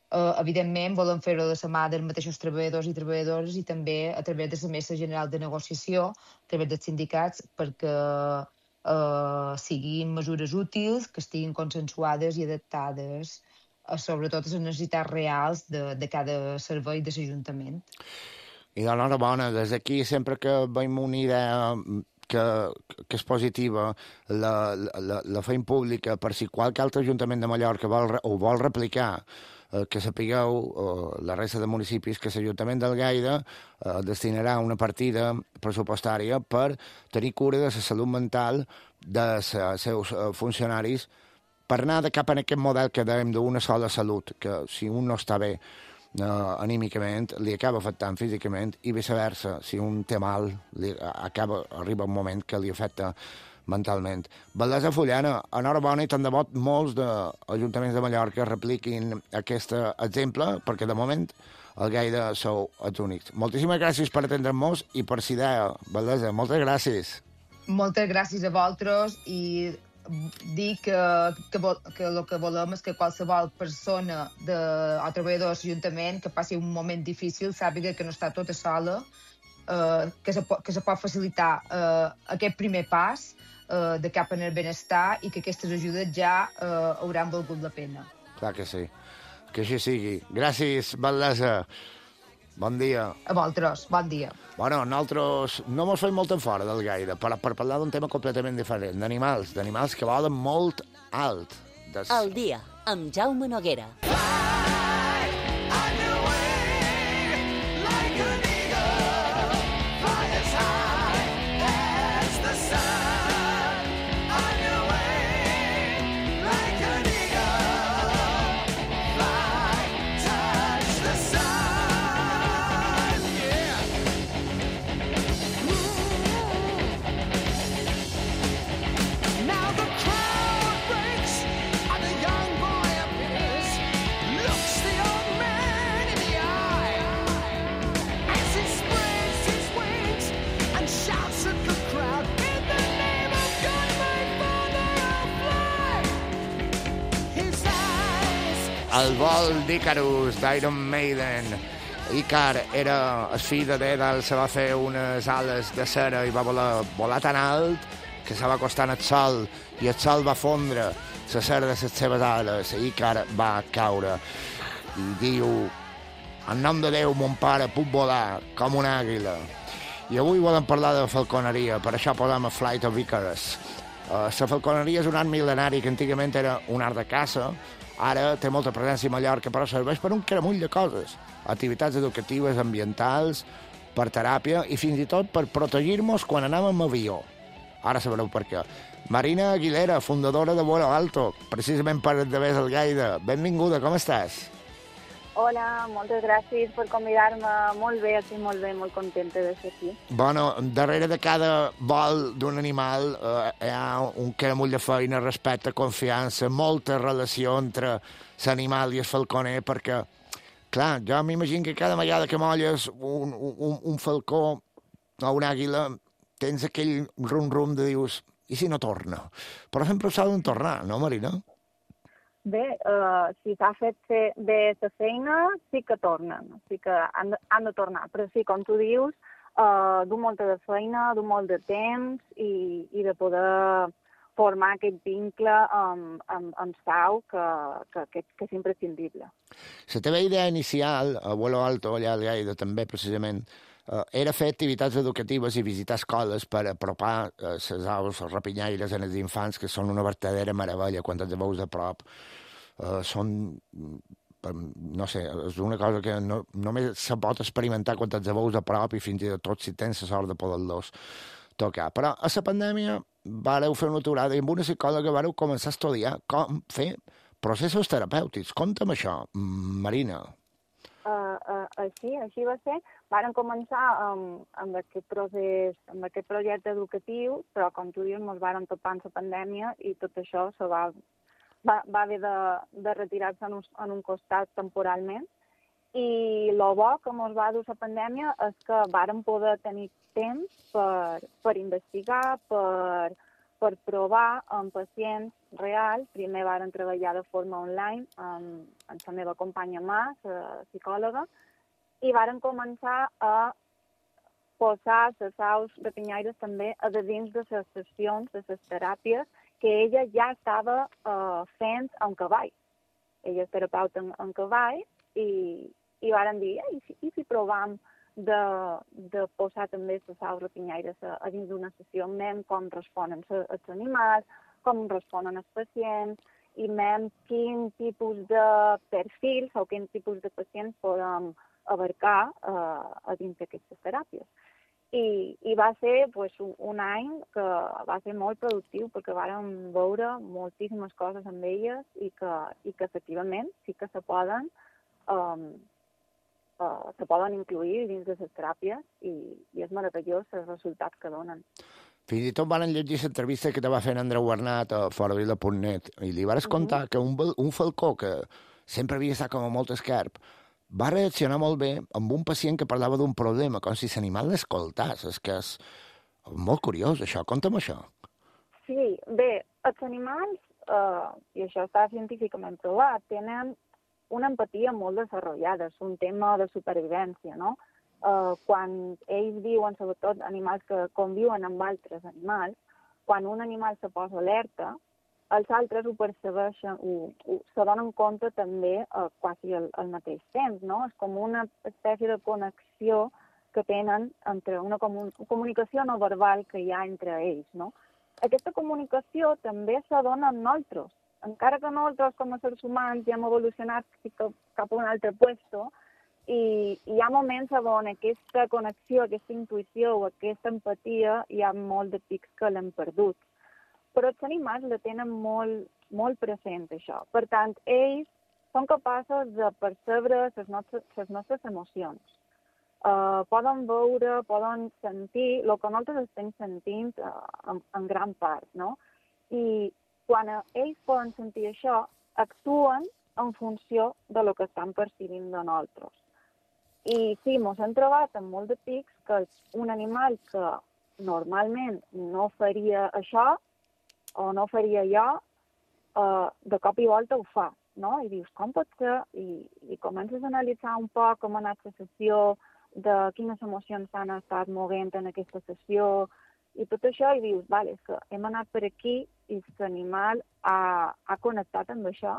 Evidentment, volem fer-ho de la mà dels mateixos treballadors i treballadores i també a través de la Mesa General de Negociació, a través dels sindicats, perquè siguin mesures útils, que estiguin consensuades i adaptades sobretot a les necessitats reals de cada servei de l'Ajuntament. I d'enhorabona, des d'aquí, sempre que veiem una idea que és positiva, la feim pública per si qualque altre Ajuntament de Mallorca vol replicar, que sapigueu, la resta de municipis, que l'Ajuntament d'Algaida destinarà una partida pressupostària per tenir cura de la salut mental dels seus funcionaris, per anar de cap en aquest model que dèiem d'una sola salut, que si un no està bé anímicament, li acaba afectant físicament, i viceversa, si un té mal, arriba un moment que li afecta mentalment. Valdesa Fullana, enhorabona i tant de bo molts d'ajuntaments de Mallorca repliquin aquest exemple, perquè de moment al Gaida sou els únics. Moltíssimes gràcies per atendre'ns i per la idea, Valdesa, moltes gràcies. Moltes gràcies a vosaltres i dir que el que volem és que qualsevol persona o treballador de l'Ajuntament que passi un moment difícil sàpiga que no està tota sola, que se pot facilitar aquest primer pas de cap en el benestar i que aquestes ajudes ja hauran valgut la pena. Clar que sí, que així sigui. Gràcies, Valdesa. Bon dia. A vosaltres, bon dia. Bueno, nosaltres no mos fem molt en fora del Gaida, per parlar d'un tema completament diferent, d'animals que volen molt alt. El dia, amb Jaume Noguera. El vol d'Icarus, d'Iron Maiden. Ícar era el fill de Dédal, se va fer unes ales de cera i va volar tan alt que se va acostar al sol i el sol va fondre la cera de les seves ales. Ícar va caure i diu: en nom de Déu, mon pare, puc volar com una àguila. I avui volem parlar de falconeria, per això posem a Flight of Icarus. La falconeria és un art mil·lenari que antigament era un art de caça. Ara té molta presència a Mallorca, però serveix per un caramull de coses. Activitats educatives, ambientals, per teràpia i fins i tot per protegir-nos quan anem amb avió. Ara sabreu per què. Marina Aguilera, fundadora de Vuelo Alto, precisament per d'haver al Gaida. Benvinguda, com estàs? Hola, moltes gràcies per convidar-me. Molt bé, estic molt bé, molt contenta de ser aquí. Bueno, darrere de cada vol d'un animal hi ha un caramull de feina, respecte, confiança, molta relació entre l'animal i el falconer, perquè, clar, jo m'imagino que cada vegada que molles un falcó o una àguila tens aquell rum-rum de dius, i si no torna? Però sempre s'ha de tornar, no, Marina? Bé, si s'ha fet bé la feina, sí que tornen, sí que han de tornar. Però sí, com tu dius, du molta de feina, du molt de temps i de poder formar aquest vincle amb Sau que és imprescindible. La teva idea inicial, a Vuelo Alto, allà al Gaida, també, precisament, era fer activitats educatives i visitar escoles per apropar les aus rapinyaires en els infants, que són una verdadera meravella quan els veus de prop. Són, no sé, és una cosa que només se pot experimentar quan els veus de prop i fins i tot si tens la sort de poder-los tocar. Però a la pandèmia vareu fer una aturada i amb una psicòloga vareu començar a estudiar com fer processos terapèutics. Conta'm això, Marina. Així va ser. Varen començar amb aquest procés, amb aquest projecte educatiu, però, com tu dius, ens varen topar amb la pandèmia i tot això va haver de retirar-se en un costat temporalment. I el bo que ens va dur la pandèmia és que vàrem poder tenir temps per investigar, per provar amb pacients reals. Primer vàrem treballar de forma online amb la meva companya Mà, la psicòloga, i vàrem començar a posar les aus rapinyaires també a dins de les sessions, de les teràpies que ella ja estava fent en cavall. Ella és terapeuta en cavall i vàrem dir, i si provam de posar també les aus rapinyaires a dins d'una sessió, mem com responen els animals, com responen els pacients, i mem quin tipus de perfils o quin tipus de pacients podem abarcar a dins d'aquestes teràpies. I va ser un any que va ser molt productiu perquè vàrem veure moltíssimes coses amb elles i que efectivament sí que se poden incluir dins de les teràpies i és meravellós els resultats que donen. Fins i tot van llegir l'entrevista que te va fer Andreu Bernat a foravila.net i li vas contar que un falcó que sempre havia estat com a molt escarp va reaccionar molt bé amb un pacient que parlava d'un problema, com si l'animal l'escoltàs. És que és molt curiós, això. Conta'm això. Sí, bé, els animals, i això està científicament provat, tenen una empatia molt desenvolupada, és un tema de supervivència, no? Quan ells viuen, sobretot animals que conviuen amb altres animals, quan un animal se posa alerta, els altres ho percebeixen, se donen compte també quasi al mateix temps, no? És com una espècie de connexió que tenen entre una comunicació no verbal que hi ha entre ells, no? Aquesta comunicació també se dona amb nosaltres. Encara que nosaltres, com a éssers humans, ja hem evolucionat cap a un altre puesto, i hi ha moments on aquesta connexió, aquesta intuïció o aquesta empatia hi ha molt de pics que l'hem perdut. Però els animals la tenen molt, molt present, això. Per tant, ells són capaços de percebre les nostres emocions. Poden veure, poden sentir el que nosaltres estem sentint en gran part, no? I quan ells poden sentir això, actuen en funció de lo que estan percibint de nosaltres. I sí, ens hem trobat amb molt de pics que un animal que normalment no faria això o no faria allò, de cop i volta ho fa, no? I dius, com pot ser? I comences a analitzar un poc com ha anat la sessió, de quines emocions s'han estat movent en aquesta sessió, i tot això, i dius, vale, és que hem anat per aquí i l'animal ha connectat amb això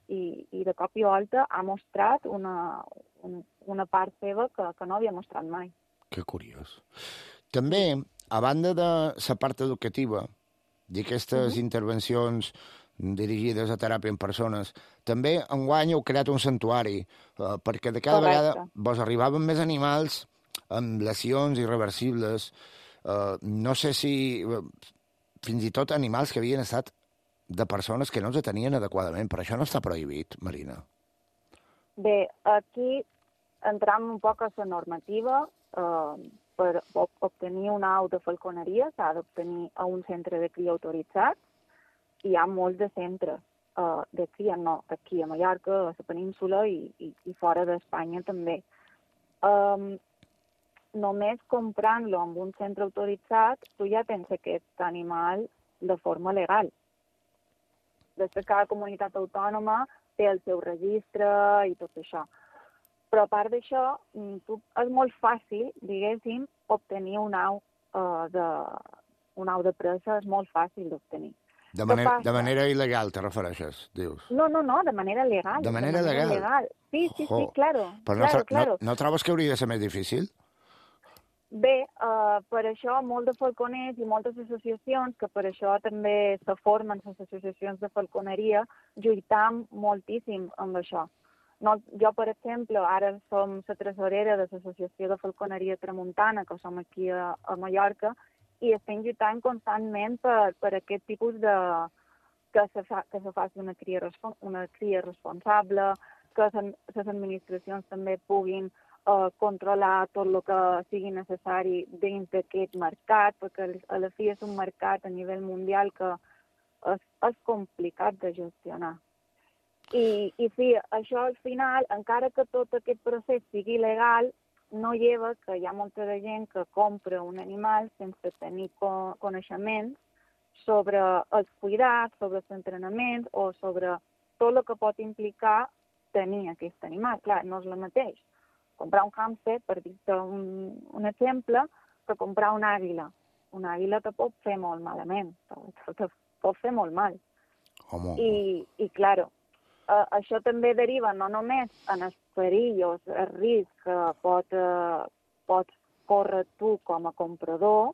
i de cop i volta ha mostrat una part seva que no havia mostrat mai. Que curiós. També, a banda de la part educativa, d'aquestes intervencions dirigides a teràpia en persones, també enguany heu creat un santuari, perquè de cada vegada vos arribaven més animals amb lesions irreversibles, no sé si fins i tot animals que havien estat de persones que no els atenien adequadament, però això no està prohibit, Marina. Bé, aquí entram un poc a la normativa. Per obtenir una au de falconeria s'ha d'obtenir a un centre de cria autoritzat. Hi ha molts de centres de cria, no, aquí a Mallorca, a la península i fora d'Espanya també. Només comprant-lo en un centre autoritzat, tu ja tens aquest animal de forma legal. Després cada comunitat autònoma té el seu registre i tot això. Però a part d'això, és molt fàcil, diguéssim, obtenir un au de presa, és molt fàcil d'obtenir. De manera il·legal, te refereixes, dius? No, de manera legal. De manera legal? Sí, claro. Però no trobes que hauria de ser més difícil? Bé, per això molts de falconers i moltes associacions, que per això també se formen les associacions de falconeria, lluitam moltíssim amb això. Jo, per exemple, ara som la tresorera de l'Associació de Falconeria Tramuntana, que som aquí a Mallorca, i estem lluitant constantment per aquest tipus de... que se faci una cria responsable, que les administracions també puguin controlar tot el que sigui necessari dins d'aquest mercat, perquè a la fi és un mercat a nivell mundial que és complicat de gestionar. I sí, això al final, encara que tot aquest procés sigui legal, no lleva que hi ha molta de gent que compra un animal sense tenir coneixements sobre els cuidats, sobre els entrenaments o sobre tot el que pot implicar tenir aquest animal. Clar, no és el mateix comprar un hàmster, per dir-te un exemple, que comprar una àguila. Una àguila te pot fer molt malament, te pot fer molt mal. Home. I clar, això també deriva no només en el perill o el risc que pots córrer tu com a comprador,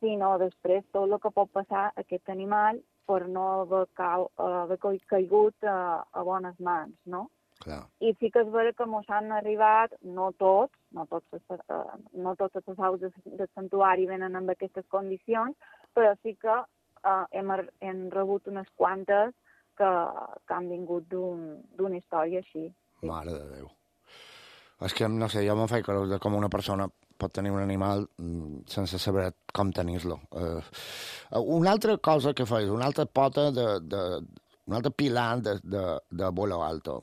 sinó després tot el que pot passar a aquest animal per no haver caigut a bones mans, no? Clar. I sí que és vera que mos han arribat, no tots els aus del santuari venen amb aquestes condicions, però sí que hem rebut unes quantes que han vingut d'una història així. Sí. Mare de Déu. És que, no sé, jo me'n faig creure com una persona pot tenir un animal sense saber com tenir-lo. Una altra cosa que fas, una altra pota un altre pilar de Vuelo Alto,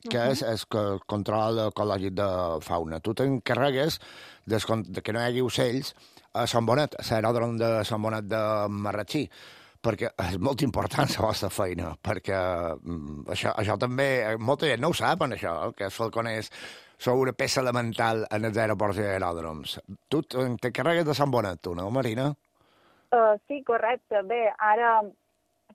que és el control ecològic de fauna. Tu t'encarregues de que no hi hagi ocells a Sant Bonet, a l'aeròdrom de Sant Bonet de Marratxí, perquè és molt important la vostra feina, perquè això també, molta gent no ho saben, això, que els falconers són una peça elemental en els aeroports i aeròdroms. Tu t'encarregues de Sant Bonet, tu, no, Marina? Sí, correcte. Bé, ara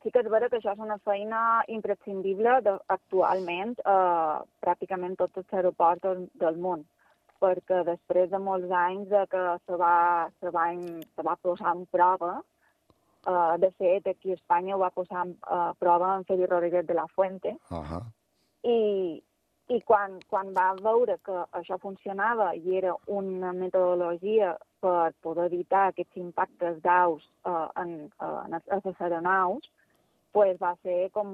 sí que és vera que això és una feina imprescindible actualment pràcticament tots els aeroports del món, perquè després de molts anys que se va posar en prova, de fet, aquí a Espanya ho va posar en prova en Félix Rodríguez de la Fuente, i quan va veure que això funcionava i era una metodologia per poder evitar aquests impactes d'aus en les aeronaus, pues va ser com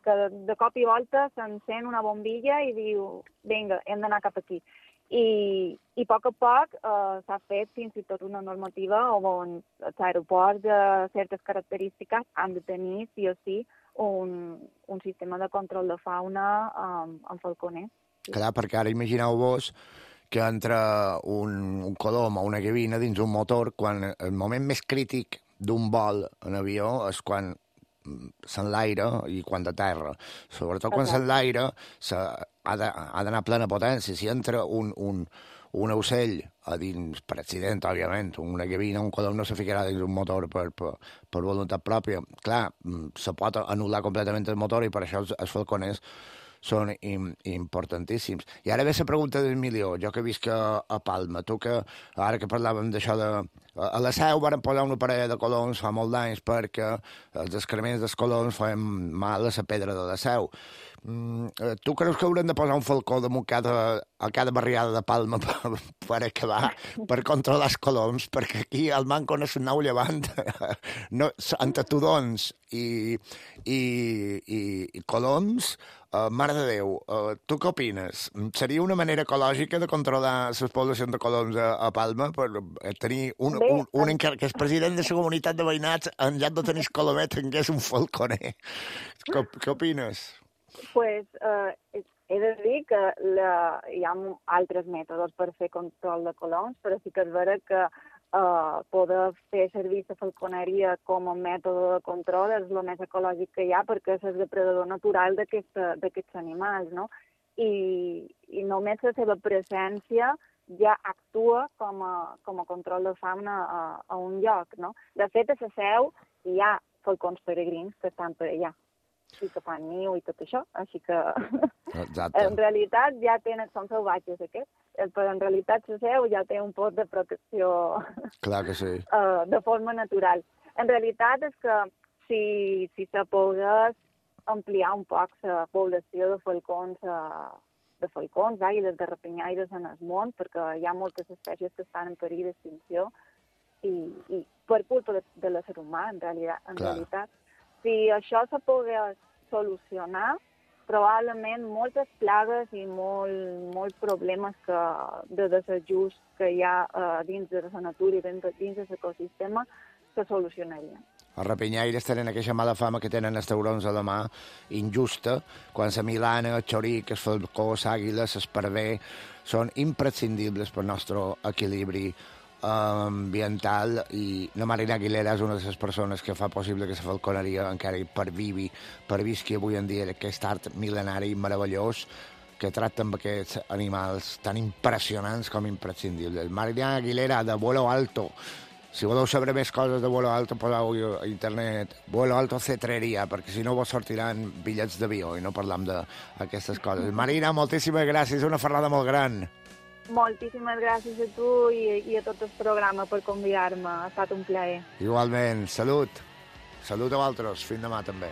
que de cop i volta s'encén una bombilla i diu, vinga, hem d'anar cap aquí. I a poc s'ha fet fins i tot una normativa on els aeroports de certes característiques han de tenir, sí o sí, un sistema de control de fauna amb falconers. Clar, perquè ara imagineu-vos que entra un colom o una gavina dins un motor quan el moment més crític d'un vol en avió és quan s'enlaira i quan de terra. Sobretot quan s'enlaira ha d'anar a plena potència. Si entra un ocell a dins, per accident, òbviament, una gavina, un colom no se ficarà dins un motor per voluntat pròpia. Clar, se pot anul·lar completament el motor i per això els falconers són importantíssims. I ara ve la pregunta del milió. Jo que visc a Palma, tu que ara que parlàvem d'això a la Seu varen posar una parella de coloms fa molt d'anys perquè els excrements dels coloms feien mal a la pedra de la Seu. Tu creus que haurem de posar un falcó damunt a cada barriada de Palma per acabar, per controlar els coloms? Perquè aquí al manco no és un nou llevant entre tudons i coloms. Mare de Déu, tu què opines? Seria una manera ecològica de controlar les poblacions de coloms a Palma per tenir un que és president de la comunitat de veïnats en lloc de tenir colomet tingués un falconer? Què opines? Pues he de dir que hi ha altres mètodes per fer control de coloms, però sí que és vera que poder fer servir la falconeria com a mètode de control és el més ecològic que hi ha perquè és el depredador natural d'aquests animals, no? I només la seva presència ja actua com a control de fauna a un lloc, no? De fet, a la Seu hi ha falcons peregrins que estan per allà i que fan niu i tot això, així que en realitat ja són salvatges aquests, però en realitat la Seu ja té un pot de protecció. Clar que sí. De forma natural. En realitat és que si se pogués ampliar un poc la població de falcons, àguiles de rapinyaires en el món, perquè hi ha moltes espècies que estan en perill d'extinció, i per culpa de l'ésser humà, en Clar. realitat. Si això se pogués solucionar, probablement moltes plagues i molts problemes de desajust que hi ha dins de la natura i dins de l'ecosistema se solucionarien. Els rapinyaires tenen aquesta mala fama que tenen els taurons a la mà, injusta, quan la milana, el xoric, el falcó, l'àguila, l'esparver, són imprescindibles pel nostre equilibri ambiental, i la Marina Aguilera és una de les persones que fa possible que la falconeria encara pervisqui avui en dia aquest art mil·lenari meravellós que tracta amb aquests animals tan impressionants com imprescindibles. Marina Aguilera, de Vuelo Alto. Si voleu saber més coses de Vuelo Alto, poseu a internet Vuelo Alto Cetreria, perquè si no vos sortiran bitllets d'avió i no parlam d'aquestes coses. Marina, moltíssimes gràcies, una ferrada molt gran. Moltíssimes gràcies a tu i a tot el programa per convidar-me. Ha estat un plaer. Igualment, salut. Salut a vosaltres. Fins demà també.